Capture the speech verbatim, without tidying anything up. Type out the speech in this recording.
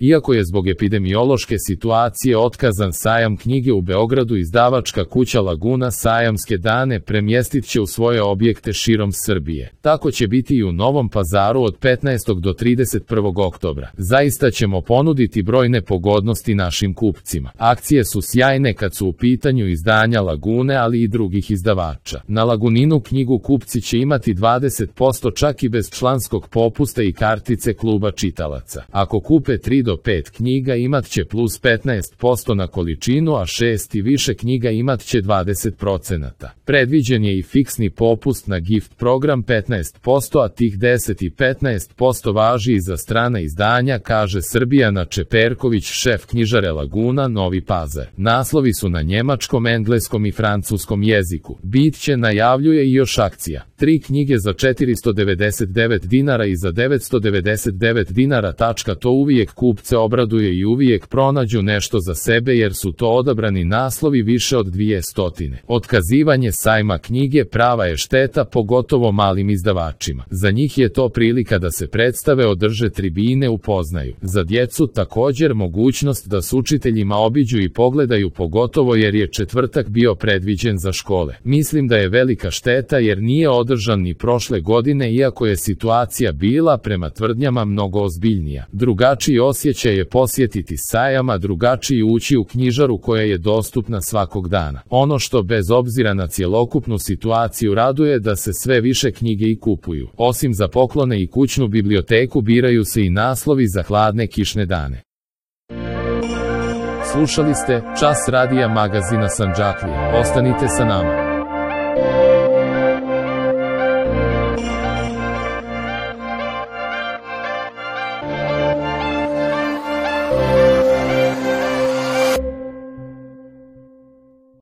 Iako je zbog epidemiološke situacije otkazan sajam knjige u Beogradu, izdavačka kuća Laguna sajamske dane premjestit će u svoje objekte širom Srbije. Tako će biti i u Novom Pazaru od petnaestog do trideset prvog oktobra. Zaista ćemo ponuditi brojne pogodnosti našim kupcima. Akcije su sjajne kad su u pitanju izdanja Lagune, ali i drugih izdavača. Na Laguninu knjigu kupci će imati dvadeset posto čak i bez članskog popusta i kartice kluba čitalaca. Ako kupe tri do pet knjiga imat će plus petnaest posto na količinu, a šest i više knjiga imat će dvadeset procenata. Predviđen je i fiksni popust na gift program petnaest posto, a tih deset i petnaest posto važi i za strana izdanja, kaže Srbijana Čeperković, šef knjižare Laguna, Novi Pazar. Naslovi su na njemačkom, engleskom i francuskom jeziku. Bit će, najavljuje, i još akcija. Tri knjige za četiristo devedeset devet dinara i za devetsto devedeset devet dinara. To uvijek kupce obraduje i uvijek pronađu nešto za sebe jer su to odabrani naslovi više od dvije stotine. Otkazivanje sajma knjige prava je šteta, pogotovo malim izdavačima. Za njih je to prilika da se predstave, održe tribine, upoznaju. Za djecu također mogućnost da s učiteljima obiđu i pogledaju, pogotovo jer je četvrtak bio predviđen za škole. Mislim da je velika šteta jer nije održan ni prošle godine, iako je situacija bila, prema tvrdnjama, mnogo ozbiljnija. Drugačiji osjećaj je posjetiti sajam, a drugačiji ući u knjižaru koja je dostupna svakog dana. Ono što bez obzira na cjelokupnu situaciju raduje da se sve više knjige i kupuju. Osim za poklone i kućnu biblioteku, biraju se i naslovi za hladne kišne dane. Slušali ste Čas radija magazina Sandžaklija. Ostanite sa nama.